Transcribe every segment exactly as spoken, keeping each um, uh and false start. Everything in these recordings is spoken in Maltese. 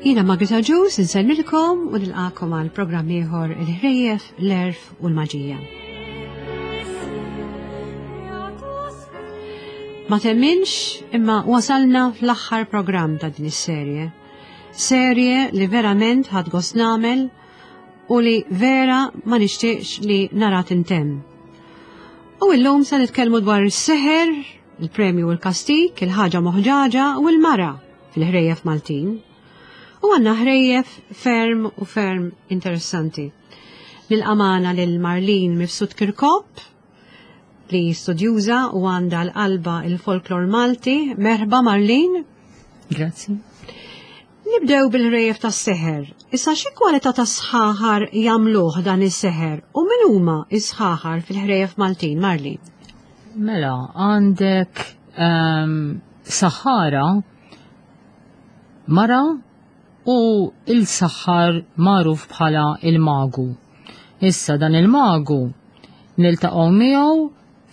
Jiena Margaret Agius insellmilkom u nilqakom għal programm ieħor il-ħrejjef, l-għerf u l-maġija. Ma temminx imma wasalna fl-aħħar programm ta' din is-serje. Serje li verament ħadt gost nagħmel u li vera ma nixtieqx li nara tintemm. U illum se nitkellmu dwar is-seħer, il-premju u l-kastik, il-ħaġa moħġaġa u l-mara fil-ħrejjef Maltin. U għandna ħrejjef ferm u ferm interessanti. Nilqamana lil Marlene Mifsud Kirkop, li studjuża u għandha l-qalba il-folklor Malti. Merħba Marlene. Grazzi. Nibdew bil-ħrejjef tas-seħer. Issa xi kwalità ta' sħaħar jagħmluh dan is-seħer u min huma s-sħaħar fil-ħrejjef Maltin, Marlene? Mela, għandek um, saħħara mara u il-saħħar magħruf bħala il-magu. Issa dan il-magu niltaqgħu miegħu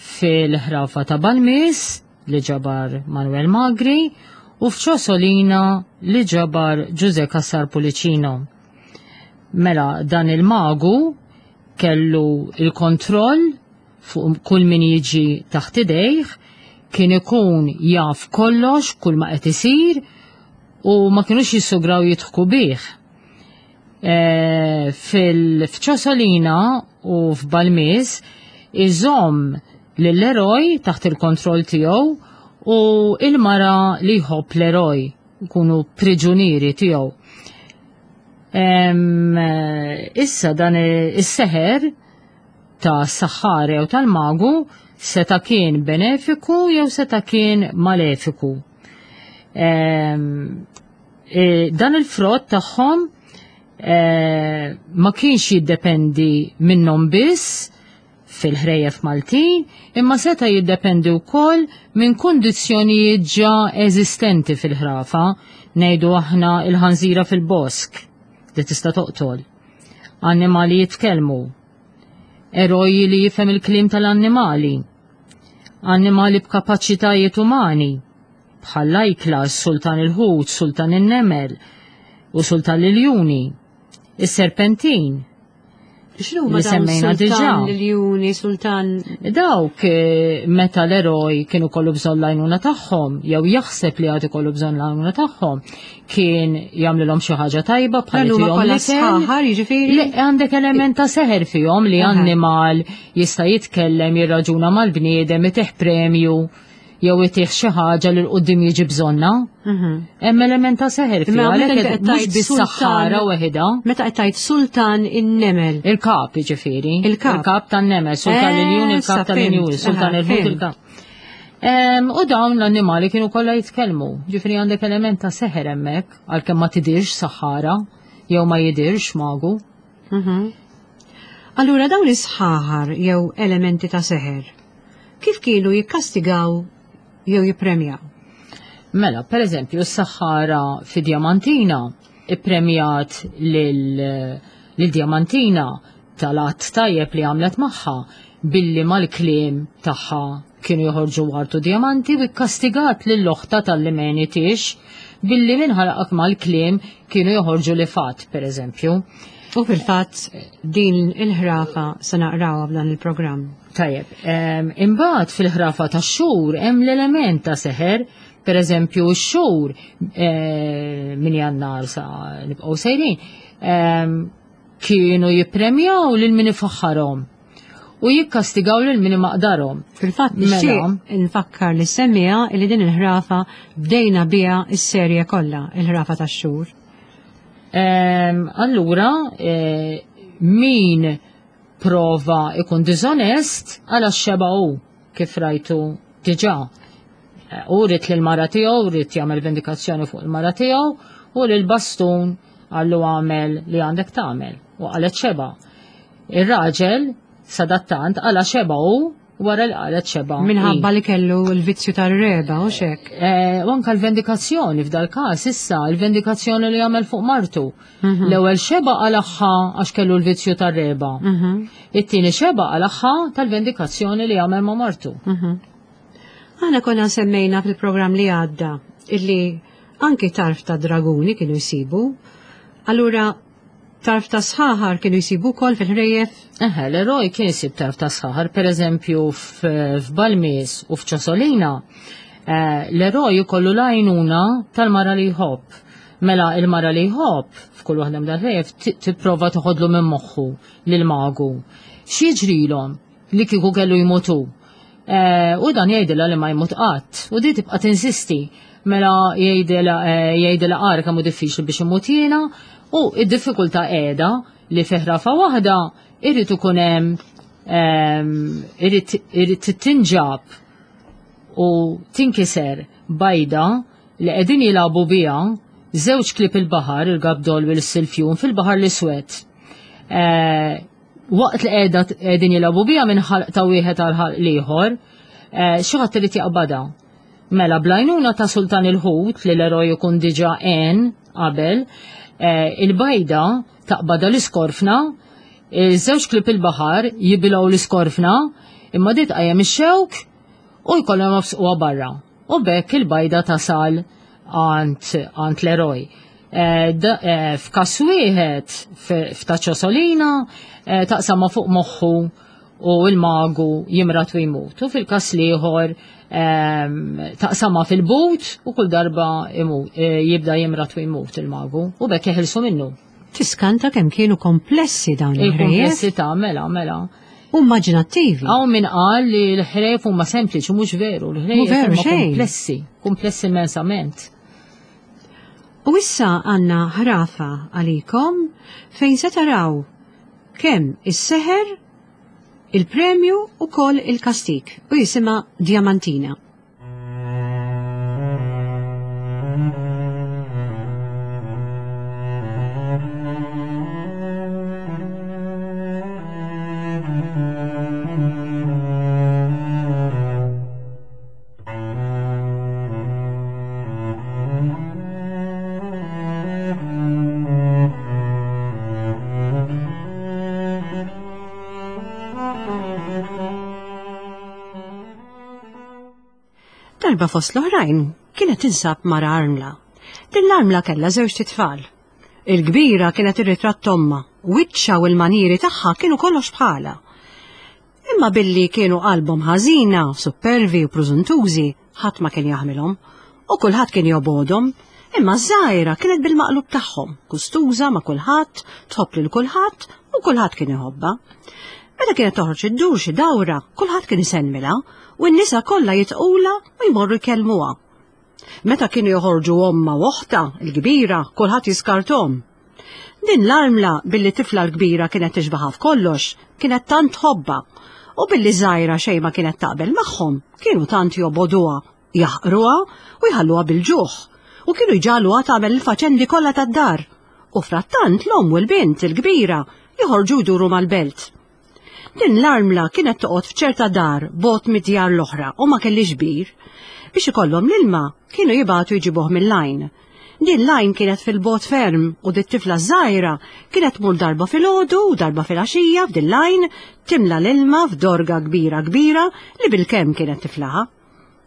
fil-ħrafa ta' Balmis li ġabar Manuel Magri u f'Ċosolina li ġabar Ġuże Cassar Pullicino. Mela dan il-magu kellu il-kontroll fuq kull min jiġi taħt idejh, kien ikun jaf kollox, kull ma qed isir, u ma kienux jissugraw jidħku bih. E, Fil-Ċosolina u f'Balmis iżomm lill-eroj taħt il-kontroll tiegħu u il-mara li jħobb l-eroj kunu priġunieri tiegħu. Issa dan is-seħer ta' saħħar jew tal-magu seta' kien benefiku jew seta' kien malefiku. E, dan il-frott tagħhom e, ma kienx jiddependi minnhom biss fil-ħrejjef Maltin, imma seta' jiddependi wkoll minn kundizzjonijiet ġa eżistenti fil-ħrafa, ngħidu aħna il-ħanżira fil-bosk li tista' toqtol, annimali jitkellmu, eroji li jifhem il-kliem tal-annimali, annimali b'kapaċitajiet umani, bħal lajkla, sultan il-ħut, sultan in-nemel u sultan l-iljuni, is-serpentin. X'inhu ma semmejna diġà? L-iljuni, sultan. Dawk meta l-eroj kienu kollu bżonn l-għajnuna tagħhom, jew jaħseb li għad ikollu bżonn l-għajnuna tagħhom, kien jagħmlilhom xi ħaġa tajba bħal kollha sħaħar, jiġifieri? Le, għandek element ta' seħer fihom li annimal jista' jitkellem, jirraġuna mal-bniedem, itih premju jew itih xi ħaġa li l-qudiem jiġi bżonna. Hemm element ta' seħer fiha, għalhekk mhux bis-saħħara weħida. Meta qed tgħid sultan in-nemel. Il-kap jiġifieri. Il-kap. Il-kap tan-nemel, sultan l-iljun, il-kap tal-iljun, sultan il-ħut, il-kap. U dawn l-annimali kienu kollha jitkellmu. Ġifieri għandek element ta' seħer hemmhekk, għalkemm ma tidirx saħħara jew ma jidirx magu. Allura dawn is-sħaħar jew elementi ta' seħer, kif kienu jikkastigaw jew jippremjaw? Mela, per eżempju, s-saħħara fi Diamantina ippremjat lil Diamantina tal-att tajjeb li għamlet magħha billi mal-kliem tagħha kienu joħorġu wartu diamanti u kkastigat lil oħta tal-li menitix billi minħalqak mal-kliem kienu joħorġu li fatt, per eżempju. U fil-fatt din il-ħrafa se naqrawha f'dan il-programm. Tajjeb, imbagħad fil-ħrafa tax-xhur hemm l-element ta' seħer, per eżempju x-xhur minn Jannar sa nibqgħu sejrin, kienu jippremjaw lil min ifaħħarhom u jikkastigaw lil min imaqdarhom. Fil-fatt nixtieq nfakkar li semmija li din il-ħrafa bdejna biha s-serje kollha, il-ħrafa tax-xhur. Allura, min prova ikun dizonest għala xeba u kif rajtu diġà. U rrit l-mara tiegħu, rrit jagħmel vendikazzjoni fuq il-mara tiegħu u l-bastun għallu għamel li għandek tagħmel u qalet xeba. Ir-raġel sadattant għala xeba u wara li qalet xeba. Minħabba li kellu l-vizzju tar-reba u xek. U anka l-vendikazzjoni f'dal każ issa, l-vendikazzjoni li għamel fuq martu. L-ewwel xeba għalaħħa għax kellu l-vizzju tar-reba. It-tieni xeba għalaħħa tal-vendikazzjoni li għamel ma' martu. Aħna konna semmejna fil-programm li għadda illi Anki tarf ta' draguni kienu jsibu. Allura tarf ta' sħaħar kienu jsibu wkoll fil-ħrejjef? Eħe, l-eroj kien jsib tarf ta' sħaħar, per eżempju f'Balmis u f'Ċosolina, eh, l-eroj jkollu l-għajnuna tal-mara li jħobb. Mela il-mara li jħobb f'kull waħda mill-ħrejjef tipprova toħodlu minn moħħu lil magu. X'jiġrilhom li kieku kellu jmutu? Eh, u dan jgħidilha li ma jmut qatt. U di tibqa' tinsisti. Mela jgħidilha eh, jgħidilha qara kemm hu diffiċli biex imut jiena u id-diffikultà qiegħda li fi ħrafa waħda irid ikun hemm ehm, irid irid tinġab u tinkiser bajda li qegħdin jilagħbu biha żewġ klieb il-baħar, il-gabdol u l-silfjun fil-baħar l-iswed. Eh, waqt li qiegħda qegħdin jilagħbu biha minn ħalq ta' wieħed għal ħalq l-ieħor, eh, xi ħadd irid jaqbadha. Mela bl-għajnuna ta' Sultan il-Ħut li l-eroj ikun diġà għen qabel, eh, il-bajda taqbadha l-iskorfna, iż-żewġ klieb il-baħar jibilgħu l-iskorfna, imma di tqajjem ix-xewk u jkollhom jobsquha barra. U b'hekk il-bajda tasal għand l-eroj. Eh, eh, f'każ wieħed f'ta' Ċosolina eh, taqsamha fuq moħħu u l-magu jimrat u jmut. U fil-każ l-ieħor ehm, taqsamha fil-but u kull darba jibda jimrat u jmut il-magu u b'hekk jeħilsu minnu. Tiskanta kemm kienu komplessi dawn il-ħrejjef. Il-komplessità, mela, mela. U immaġinattivi. Hawn min qal li l-ħrejjef huma sempliċi, mhux veru, l-ħrejjef huma komplessi, komplessi immensament. U issa għandna ħrafa għalikom fejn se taraw kemm is-seħer, il-premju u kol il-kastik u jisimha Diamantina. Darba fost l-oħrajn kienet tinsab mara armla. Din l-armla kellha żewġt itfal. Il-kbira kienet ir-ritratt ommha, wiċċha u l-manieri tagħha kienu kollox bħalha. Imma billi kienu qalbhom ħażina, supervi u prużuntużi, ħadd ma kien jaħmilhom u kulħadd kien jobgħodhom. Imma ż-żgħira kienet bil-maqlub tagħhom, gustuża ma' kulħadd, tħobb lil kulħadd u kulħadd kien iħobbha. Meta kienet toħroġ iddur xi dawra, kulħadd kien isellmilha u n-nisa kollha jitqulha u jmorru jkellmuha. Meta kienu joħorġu ommha u oħtha, il-kbira, kulħadd jiskarthom. Din l-armla billi tifla l-kbira kienet tixbaħha f'kollox, kienet tant tħobbha, u billi żgħira xejn ma kienet taqbel magħhom, kienu tant jobogħduha, jaħqruha u jħalluha bil-ġuħ, u kienu jġagħluha tagħmel il-faċendi kollha tad-dar. U frattant l-omm u l-bint il-kbira joħorġu jduru mal-belt. Din l-armla kienet toqgħod f'ċerta dar bogħod mid-djar l-oħra u ma kellhiex bir. Biex ikollhom l-ilma kienu jibagħtu jġibuh mill-għajn. Din l-għajn kienet fil-bogħod ferm u dit-tifla żgħira kienet tmur darba filgħodu u darba filgħaxija f'din l-għajn timla l-ilma f'dorga kbira kbira li bilkemm kienet tiflaha.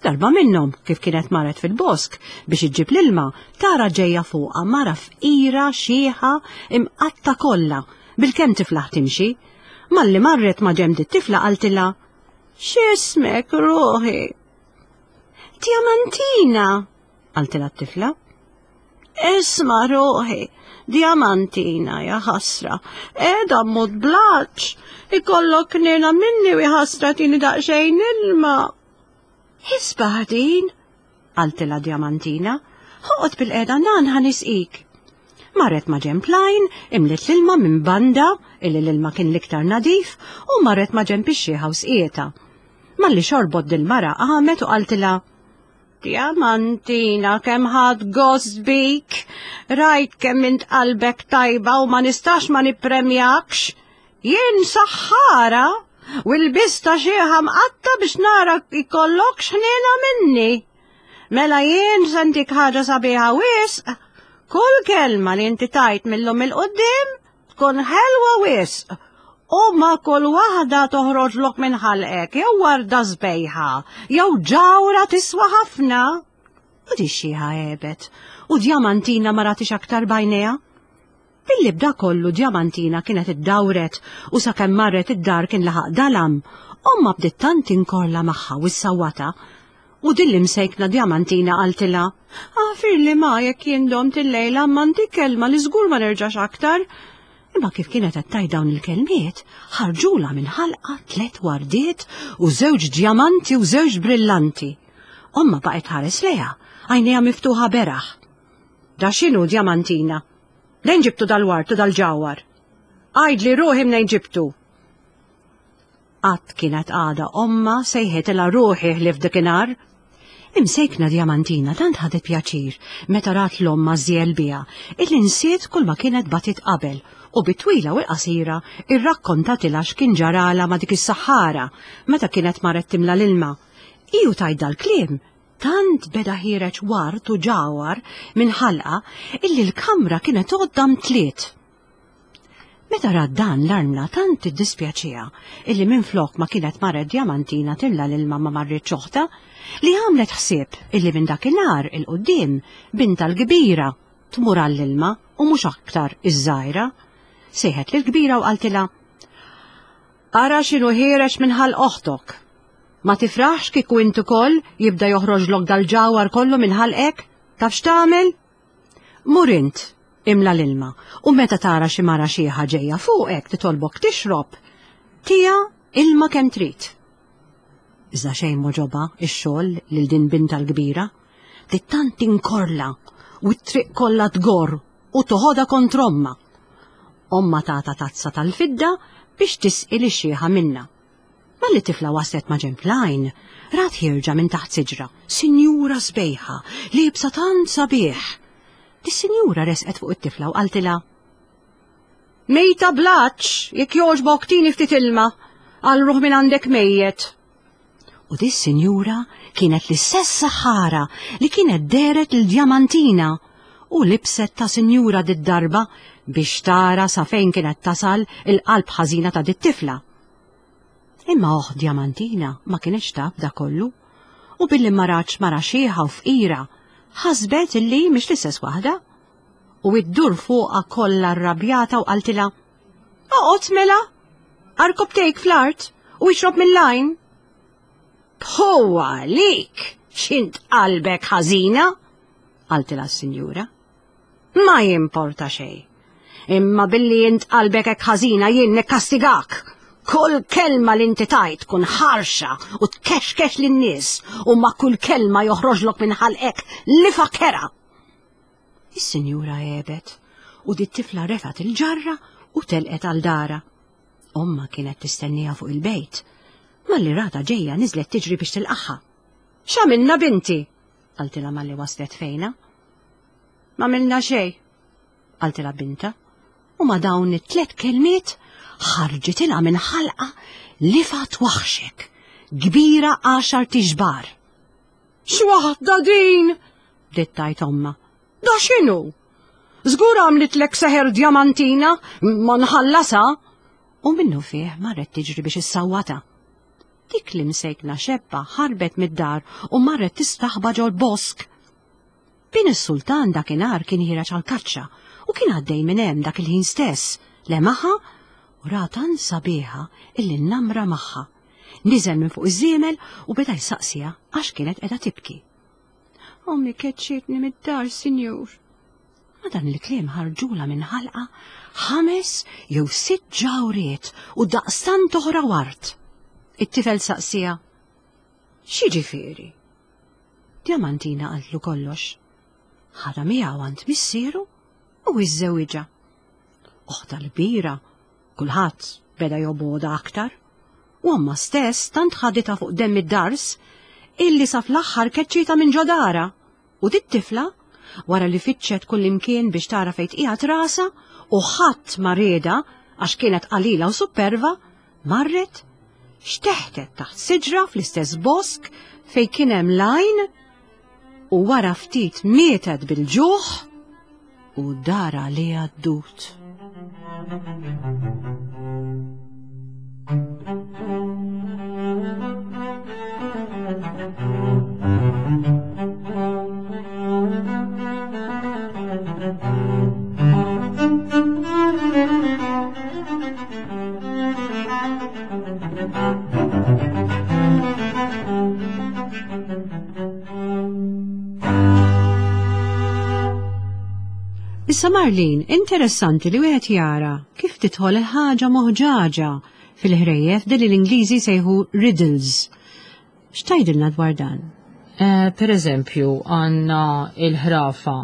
Darba minnhom, kif kienet marret fil-bosk biex iġġib l-ilma, tara ġejja fuqha mara fqira xieħa imqatta kollha bilkemm tiflaħ timxi. Malli marret ma' ġenb dit-tifla qaltilha, X'ismek ruħi? Diamantina, qaltilha t-tifla. Isma' ruħi, Diamantina, ja ħasra, qiegħda mmut bl-għatx, ikollok ħniena minni u ħasra tini daqsxejn ilma. Isbaħ din, qaltilha Diamantina, oqgħod bil-qiegħda nan ħa nisqik. Marret ma' ġenb l-għajn, imliet l-ilma minn banda, illi l-ilma kien l-iktar nadif, u marret ma' ġenb ix-xieħa u sqietha. Malli xorbot dil-mara qamet u qaltilha, Diamantina, kemm ħadt gost bik, rajt kemm int qalbek tajba u ma nistax ma nippremjakx. Jien saħħara u l-bista xieħa mqatta biex nara ikollokx ħniena minni. Mela jien se ntik ħaġa sabiħa wisq. Kull kelma li inti tajt mill-lum il-qoddim tkun ħelwa wisq. U ma kull waħda toħroġlok minn ħalqek jew warda sbejħa jew ġawra tiswa ħafna. U di xieħa għebet, u Djamantina ma ratix aktar b'għajnejha. Billi b'da kollu Djamantina kienet iddawret u sakemm marret id-dar kien laħaq dalam, ommha bdiet tant tinkorla magħha u ssawwatha. U din l-imsejkna Djamantina qaltilha, "Aħfirli ma jekk jien domt illejla imma ntik kelma li żgur ma nerġax aktar." Imma kif kienet qed tgħid dawn il-kelmiet, ħarġulha minn ħalqha tliet wardiet u żewġ djamanti u żewġ brillanti. Ommha baqgħet tħares lejha, għajnejha miftuħa beraħ. Da x'inhu Djamantina? Mnejn ġibtu dal-ward u dal-ġawhar? Għidli ruħi mnejn ġibtu. Qatt kienet għadha ommha sejħitilha ruħi ħlief dakinhar. Imsejkna Djamantina tant ħadet pjaċir meta rat 'l ommha żżiegħel biha illi nsiet kull ma kienet batit qabel u bit-twila u l-qasira irrakkontatilha x'kien ġarala ma' dik is-saħħara meta kienet marret timla l-ilma. Iju tgħid dal-kliem, tant beda ħiereġ ward u ġawhar minn ħalqha illi l-kamra kienet għodda mtliet. Meta rat dan l-armla tant iddispjaċiha illi minflok ma kienet marret Djamantina timla l-ilma ma marritx oħtha, li għamlet ħsieb illi minn dakinhar 'il quddiem bintha l-kbira tmur għall-ilma u mhux aktar iż-żgħira. Sejħet lill-kbira u qaltilha, Ara x'inhu ħiereġ minn ħalq oħtok. Ma tifraħx kieku int ukoll jibda joħroġlok dal-ġawhar kollu minn ħalqek? Taf x'tagħmel? Mur int, imla l-ilma, u meta tara xi mara xieħa ġejja fuqek titolbok tixrob, tiha ilma kemm trid. Iżda xejn m'għoġobha x-xogħol lil din bintha l-kbira, bdiet tant tinkorla u t-triq kollha tgorr u toħodha kontra ommha. Ommha tatha tazza tal-fidda biex tisqi lix-xieħa minnha. Malli t-tifla waslet ma' ġenb l-għajn, rat ħierġa minn taħt siġra, sinjura sbejħa, liebsa tant sabiħ. Dis-sinjura resqet fuq it-tifla u qaltilha, Mejta bl-għatx, jekk jogħġbok tini ftit ilma, għal ruħ minn għandek mejjet. U dis-sinjura kienet l-istess saħħara li kienet dehret lil Djamantina u libset ta' sinjura did-darba biex tara sa fejn kienet tasal il-qalb ħażina ta' dit-tifla. Imma oħt Djamantina ma kienx taf da kollu, u billi ma ratx mara xieħa u fqira, ħasbet illi mhix l-istess waħda. U iddur fuqha kollha rrabjata u qaltilha, Oqgħod mela, għarkopptejk fl-art u ixrob mill-għajn. Tfu għalik, x'int qalbek ħażina, qaltilha s-sinjura. Ma jimporta xejn. Imma billi int qalbek hekk ħażina jien nikkastigak. Kull kelma li inti tgħid tkun ħarxa u tkexkex lin-nies u ma' kull kelma joħroġlok minn ħalqek lifgħa kerha. Is-sinjura għebet u dit tifla refgħet il-ġarra u telqet għal darha. Ommha kienet tistenniha fuq il-bejt. Malli ratha ġejja niżlet tiġri biex tilqagħha. X'għamilna binti? Qaltilha malli waslet fejnha. M'għamilna xejn, qaltilha bintha. U ma' dawn it-tlet kelmiet ħarġitilha minn ħalqha lifgħa twaħxek, kbira għaxar tixbar. X'waħda din? Bdiet tgħid ommha. Da x'inhu? Żgur għamlitlek seħer Djamantina, ma nħallasha. U minnu fih marret tiġri biex issawwatha. Dik li msejkna xebba ħarbet mid-dar u marret tistaħba ġol-bosk. Bin is-sultan dakinhar kien ħiereġ għal-kaċċa u kien għaddej minn hemm dak il-ħin stess, lemaħha u ra tant sabiħa illi nnamra magħha. Niżel minn fuq iż-żiemel u beda jsaqsiha għax kienet qiegħda tibki. Ommi keċċietni mid-dar, sinjur. Ma dan il-kliem ħarġulha minn ħalqha ħames jew sitt ġawriet u daqstant oħra ward. It-tifel saqsiha, X'jiġifieri? Djamantina qaltlu kollox. Ħadha miegħu għand missieru u iżżewwiġha. Oħtha l-kbira, kulħadd beda jobgħodha aktar. U ommha stess tant ħaditha fuq demm id-dars illi sa fl-aħħar keċċietha minn ġo darha. U dit-tifla, wara li fittxet kullimkien biex tara fejn tqiegħed rasha u ħadd ma riedha għax kienet qalila u supperva, marret xteħtet taħt siġra fl-istess bosk fejn kien hemm l-għajn u wara ftit mietet bil-ġuħ u dar għaliha d-dud. Issa Marlin, interessanti li wieħed jara kif tidħol il-ħaġa moħġaġa fil-ħrejjef din li l-Ingliżi sejħu riddles. X'tgħidilna dwar dan? Eh, per eżempju, għandna il-ħrafa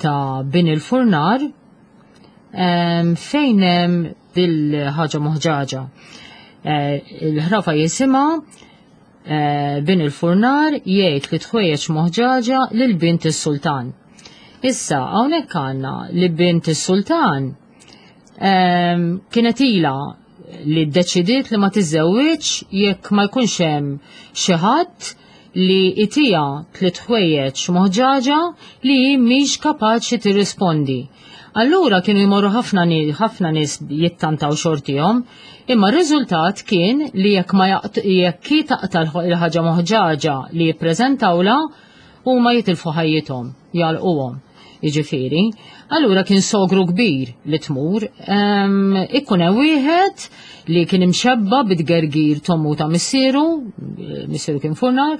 ta' bin il-furnar em, fejn hemm dil-ħaġa moħġaġa. Eh, il-ħrafa jisimha eh, bin il-furnar jgħid li tħwejjeġ moħġaġa lil bint is-sultan. Issa, hawnhekk għandna li bint is-sultan em, kienet ila li ddeċidiet li ma tiżżewwiġ jekk ma jkunx hemm xi ħadd li itija tliet ħwejjeġ moħġaġa li hi mhix kapaċi tirrispondi. Allura kienu jmorru ħafna ni- ħafna nies jittantaw xortihom, imma r-riżultat kien li jekk ma jaqt jekk hi taqta' l-ħaġa moħġaġa li jippreżentawla huma jitilfu ħajjithom, jalquhom. Jiġifieri, allura kien sogru kbir li tmur, em, ikun hemm wieħed li kien imxebba bit-gergir t'ommu ta' missieru, missieru kien furnar,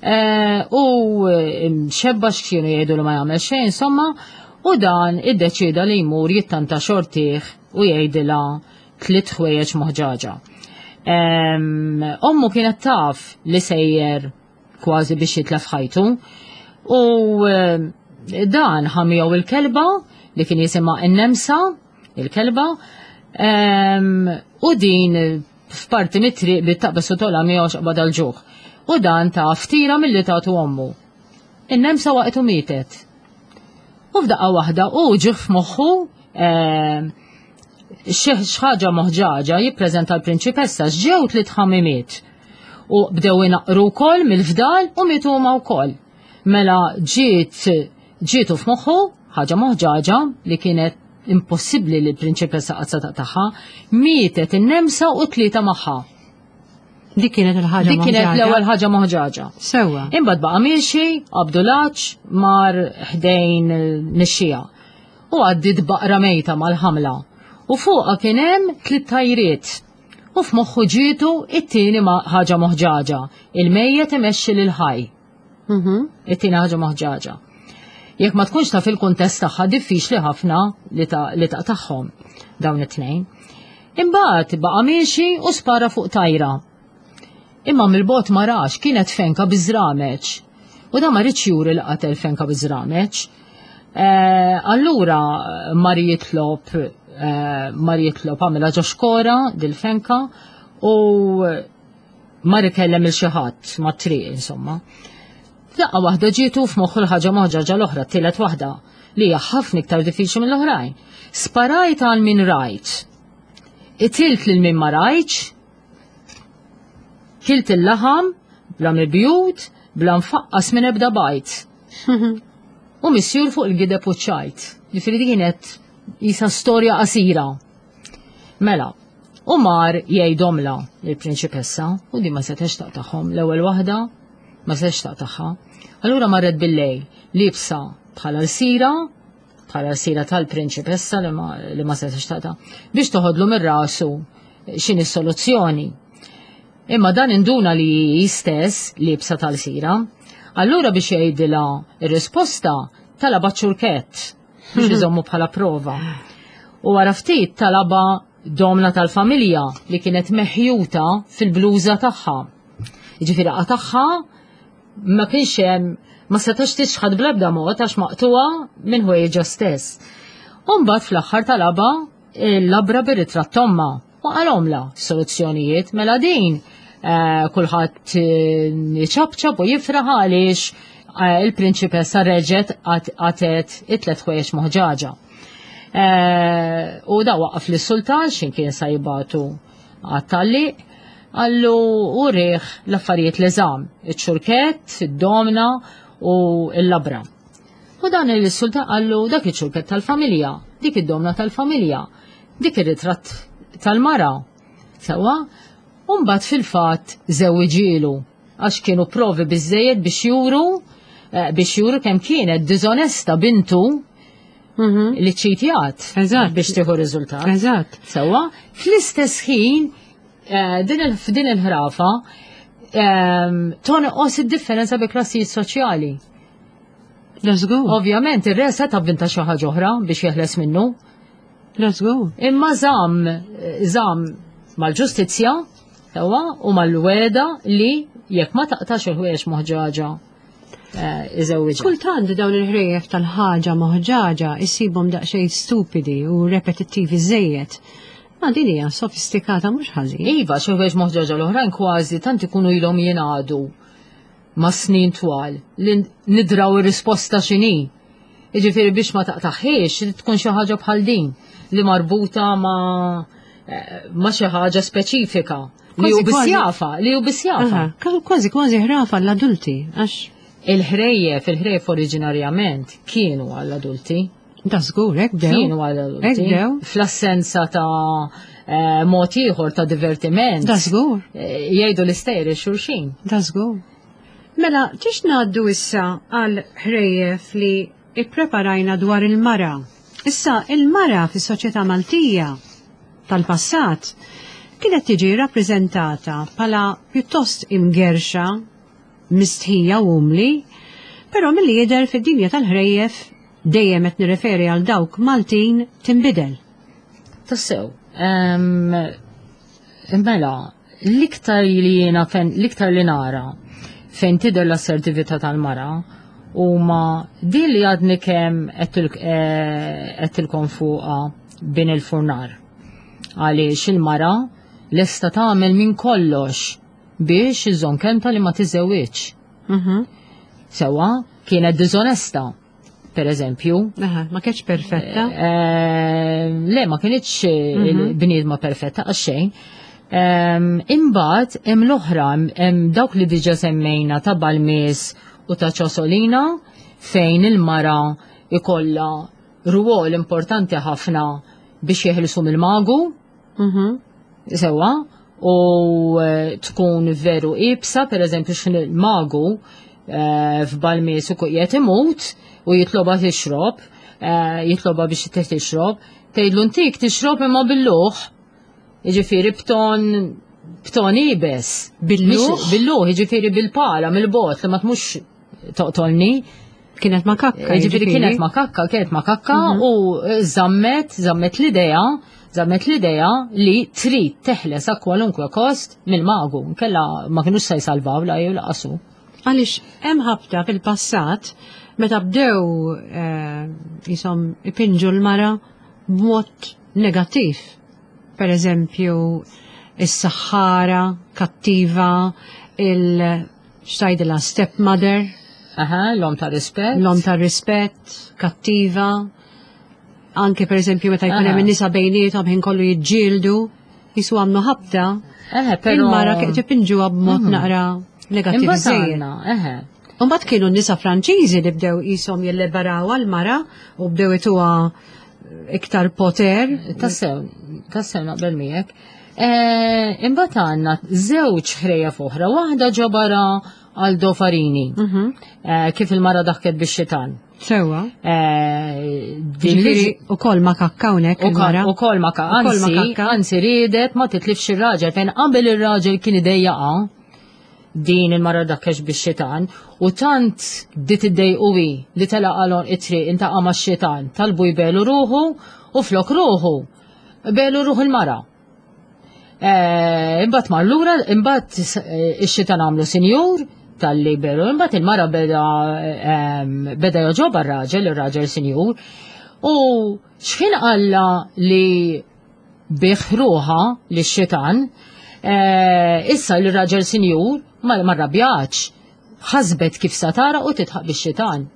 eh, u mxebba x'kienu jgħidu li ma jagħmel xejn, insomma, u dan iddeċida li jmur jittanta xortih u jgħidilha tliet ħwejjeġ moħġaġa. Em, Ommu kienet taf li sejjer kważi biex jitlef ħajtu u em, dan ħamijaw il-kelba li kien jisimha n-nemsa, il-kelba, em, u din f'parti mit-triq bit-taqbes u tola miegħu xaqbad għal-ġuħ. U dan ta' ftira milli tagħtu ommu. In-nemsa waqt u mietet. U f'daqqa waħda u ġie f'moħħu em, xi ħaġa moħġaġa jippreżenta l-prinċipessa x'ġew tliet ħamimiet. U bdew inaqru wkoll mill-fdal u mietu huma wkoll. Mela ġiet ġietu f'moħħu ħaġa moħġaġa li kienet impossibbli li l-prinċipessa qatt se taqtagħha, mietet in-nemsa u tlieta magħha. Dik kienet il-ħaġa Dik kienet moħġaġa. l-ewwel ħaġa moħġaġa. Sewwa. Imbagħad baqa' miexi, qabdu l-għatx, mar ħdejn nixxija. U għaddit baqra mejta mal-ħamla. U fuqha kien hemm tliet tajriet. U f'moħħu ġietu it-tieni ma- ħaġa moħġaġa. Il-mejjet imexxi lil ħaj. Mhm. It-tieni ħaġa moħġaġa. Jekk ma tkunx taf il-kuntest tagħha diffiċli ħafna li ta' li taqtagħhom dawn it-tnejn. Imbagħad baqa' miexi u spara fuq tajra. Imma mill-bogħod ma rax kienet fenka biż-żrameċ. U da ma riedx juri li qatel fenka biż-żrameċ. Eh, allura mar jitlob eh, mar jitlob għamilha ġo xkora dil-fenka u mar ikellem il xi ħadd mat-triq insomma. Daqqa waħda ġietu f'moħħu l-ħaġa moħġaġa l-oħra, t-tielet waħda, li hija ħafna iktar diffiċli mill-oħrajn. Sparajt għal min rajt. Qtilt lil min ma rajtx, kilt il-laħam, bla mibjut, bla mfaqqas minn ebda bajt. U misjur fuq il-gideb u ċajt. Ġifieri di kienet jisa storja qasira. Mela, u mar jgħidhomla il-prinċipessa u di ma setax taqtagħhom l-ewwel waħda ma setax taqtagħha. Allura marret bil-lejl libsa bħala l-sira, bħala l-sira tal-prinċipessa li ma, li ma setax taqta' biex toħodlu mir-rasu x'inhi s-soluzzjoni. Imma dan induna li hi stess libsa tal-sira. Allura biex jgħidilha ir-risposta talaba ċurkett biex iżommu bħala prova. U wara ftit talaba domna tal-familja li kienet meħjuta fil-bluża tagħha. Jiġifieri qatagħha ma kienx hemm ma setax tixħad bl-ebda mod għax maqtuha minn ħwejġa stess. U mbagħad fl-aħħar talaba il-labra bir-ritratt t'ommha u qalhomla soluzzjonijiet mela din eh, kulħadd eh, iċapċap u jifraħ għaliex eh, il-prinċipessa reġgħet qatet it-tlet ħwejjeġ moħġaġa. Eh, U da waqaf li sultan xin kien sa jibatu għat-talli, għallu u riħ l-affarijiet li żamm, iċ-ċurkett, id-domna u l-labra. U dan il-sultan għallu dak iċ-ċurkett tal-familja, dik id-domna tal-familja, dik ir-ritratt tal-mara. Sewwa, u mbagħad fil-fatt żewwiġielu għax kienu provi biżejjed biex juru eh, biex juru kemm kienet diżonesta bintu Mhm. li ċitjat Eżatt. biex tieħu riżultat. Eżatt. Sewwa, fl-istess ħin eh, din il- f'din il-ħrafa ehm, tonqos id-differenza bi klassijiet soċjali. Let's go. Ovvjament ir-re seta' avvinta xi ħaġa oħra biex jeħles minnu. Let's go. Imma żamm żamm mal-ġustizzja sewwa u mal-weda li jekk ma taqtax il-ħwejjeġ moħġaġa eh, iżewwiġha. Kultant dawn il-ħrejjef tal-ħaġa moħġaġa issibhom daqsxejn stupidi u repetittivi żejjed. Ma din hija sofistikata mhux ħażin. Iva, xi ħwejjeġ moħġaġa l-oħrajn kważi tant ikunu ilhom jingħadu ma' snin twal li nidraw ir-risposta x'inhi. Jiġifieri biex ma taqtaħiex li tkun xi ħaġa bħal din li marbuta ma' eh, ma' xi ħaġa speċifika li hu Kważi, biss kważi. jafa, li hu biss jafa. Aha, Kważi kważi ħrafa l-adulti, għax Il-ħrejjef, il-ħrejjef oriġinarjament kienu għall-adulti. da żgur hekk bdew. Kienu għall-adulti. Hekk bdew. Fl-assenza ta' eh, mod ieħor ta' divertiment. Da żgur. eh, Jgħidu l-istejjer xulxin. Da żgur. Mela, tix ngħaddu issa għal ħrejjef li ippreparajna dwar il-mara. Issa, il-mara fis-soċjetà Maltija tal-passat kienet tiġi rappreżentata bħala pjuttost imgerxa, mistħija u umli, però milli jidher fid-dinja tal-ħrejjef dejjem qed nirreferi għal dawk Maltin tinbidel. Tassew. Em, Mela, l-iktar li jiena fen, l-iktar li nara fejn tidher l-assertività tal-mara huma din li għadni kemm għedtilkom fuqha bin il-furnar. Għaliex il-mara lesta tagħmel minn kollox biex iżżomm kelmta li ma tiżewwiġ. Mhm. Sewwa, kienet diżonesta, per eżempju. Aha, ma kienx perfetta. Eh, Le, ma kienitx Mhm. bniedma perfetta għax xejn. Em, Imbagħad hemm l-oħra hemm dawk li diġà semmejna ta' Balmis u ta' Ċosolina fejn il-mara ikolla rwol importanti ħafna biex jeħilsu mill-magu, Mhm. sewwa, u eh, tkun veru ibsa, per eżempju xin il-magu eh, f'Balmis u qiegħed imut u jitloba tixrob, eh, jitloba biex tih tixrob, tgħidlu ntik tixrob imma bil-luħ, jiġifieri b'ton b'ton ibes. Bil-luħ? Mhix- Bil-luħ, jiġifieri bil-pala, mill-bot, li ma tmux toqtolni. Kienet ma kakka. Ġifieri kienet ma kakka, kienet ma kakka u zammet, zammet l-idea, zammet l-idea li trid teħles a kwalunkwe kost mill-magu. Kella ma kienux se jsalvaw la jew laqasu. Għaliex hemm ħabta fil-passat meta bdew eh, jisom ipinġu l-mara b'mod negattiv. Per eżempju, is-saħħara kattiva, il xtajdilha stepmother, Aha, l-om ta' rispett. l-om ta' rispett, kattiva. Anke per eżempju meta jkun hemm Aha. in-nisa bejniethom ħin kollu jiġġieldu, jisu għamlu ħabta, Eħe, pero. il-mara kienet ipinġuha b'mod naqra negattiv Imbagħad żejjed. għandna, eħe. Mbagħad kienu n-nisa Franċiżi li bdew qishom jilliberaw għal-mara u bdew ituha iktar poter. Tassew, tassew naqbel miegħek. Eh, Imbagħad għandna żewġ ħrejjef oħra, waħda ġabara Aldo Farini, Mhm. eh, kif il-mara daħket bix-xitan. Sewwa. Eh, din li Ġifieri ukoll ma kakka hawnhekk il-mara. U kol ma ka, Ukoll ma anzi, kakka. anzi riedet ma titlifx ir-raġel, fejn qabel ir-raġel kien idejjaqa din il-mara dakkex bix-xitan u tant dit iddejquwi li tela qalon it-triq intaqa' max-xitan talbu jbelu ruħu u flok ruħu belu ruħu il-mara. Eh, Imbagħad mar lura, imbagħad eh, ix-xitan għamlu sinjur tal-li belu, imbagħad il-mara beda ehm, beda joġoba r-raġel, ir-raġel sinjur, u x'ħin qalla li biħ ruħa li xitan, eh, issa li raġel sinjur ma ma rrabjax, ħasbet kif satara u titħaq bix-xitan.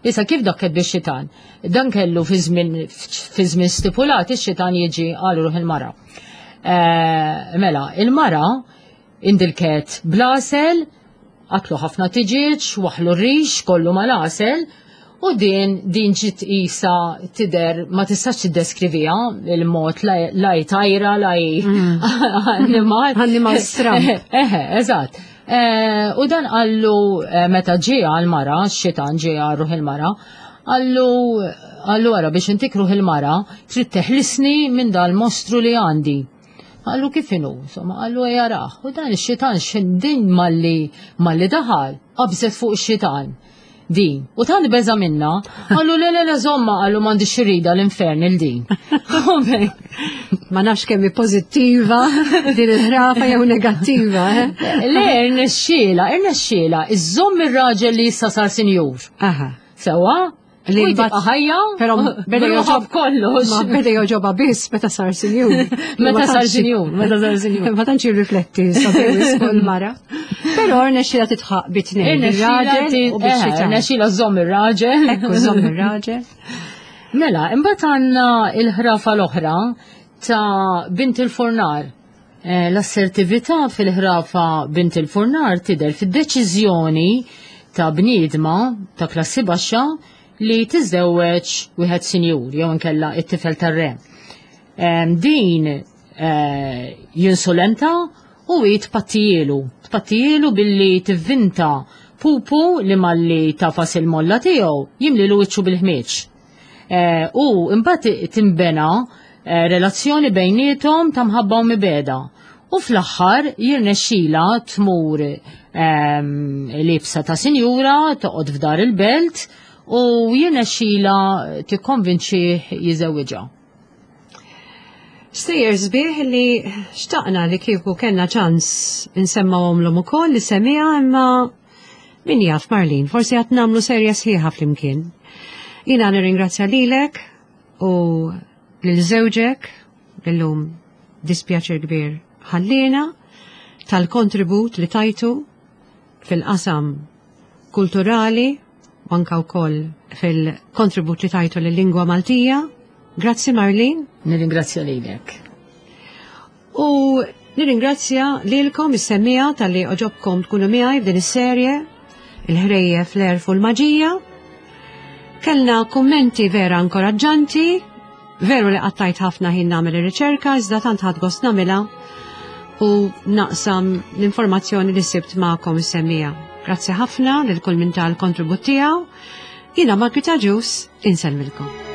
Issa kif dakket bix-xitan? Dan kellu fi żmien fi żmien stipulat ix-xitan jiġi għal ruħ il-mara. Eh, Mela, il-mara indilket blasel, qatlu ħafna tiġiġ, waħlu r-rix, kollu mal-għasel, u din din ġiet isa tider ma tistax tiddeskriviha il-mod la la hi tajra, la hi annimal. Annimal stramb. Eħe, eżatt. Eh, U dan qallu eh, meta ġie għal-mara, x-xitan ġie għal ruħ il-mara, qallu qallu ara biex intik ruħ il-mara, trid teħlisni minn dal-mostru li għandi. Qallu kif inhu, insomma, qallu jaraħ. U dan ix-xitan xin din malli malli daħal, qabżet fuq ix-xitan. Din. U tant beża minna, qallu le le le żomma, qallu m'għandix irrida l-infern il din. Ma nafx kemm hi pożittiva din il-ħrafa jew negattiva, eh? Le, irnexxiela, irnexxiela, iżżomm ir-raġel li issa sar sinjur. Aha. Sewa? Li U mbagħad- tibqa' ħajja, Però beda b'ruħha joġob b'kollox. Ma beda joġoba biss meta sar sinjur. Meta sar sinjur, meta sar sinjur. Ma tantx jirrifletti sabiħ fuq il-mara. Però rnexxiela titħaq bi tnejn, bir-raġel u bix-xitan. Irnexxiela żomm ir-raġel. Ekku żomm ir-raġel. Mela, imbagħad għandna il-ħrafa l-oħra ta' Bint il-Furnar. Eh, L-assertività fil-ħrafa Bint il-Furnar tidher fid-deċiżjoni ta' bniedma ta' klassi baxxa li tiżewweġ wieħed sinjur jew inkella it-tifel tar-re. Em, Din eh, jinsulenta u hi tpattijielu. Tpattijielu billi tivvinta pupu li malli tafas il-molla tiegħu jimlilu wiċċu bil-ħmieġ. Eh, U imbagħad timbena eh, relazzjoni bejniethom ta' mħabba u mibegħda. U fl-aħħar jirnexxila tmur ehm, libsa ta' sinjura, toqgħod f'dar il-belt u jirnexxila tikkonvinċih jiżewwiġha. Stejjer sbieħ li xtaqna li kieku kellna ċans insemmawhomlhom ukoll li semija imma min jaf Marlene, forsi għad nagħmlu serja sħiħa flimkien. Jiena nirringrazzja lilek u lil żewġek illum dispjaċir kbir ħallina tal-kontribut li tajtu fil-qasam kulturali u anka wkoll fil-kontribut li tajtu lil-lingwa Maltija. Grazzi Marlene. Nirringrazzja lilek. U nirringrazzja lilkom is-semmiegħa talli għoġobkom tkunu miegħi f'din is-serje il-ħrejjef l-għerf u l-maġija. Kellna kummenti vera inkoraġġanti, veru li qattajt ħafna ħin nagħmel ir-riċerka, iżda tant ħadt gost nagħmilha u naqsam l-informazzjoni li sibt magħkom is-semmiegħa. Grazzi ħafna lil kull min ta l-kontribut tiegħu. Jiena Margit Agius, insellmilkom.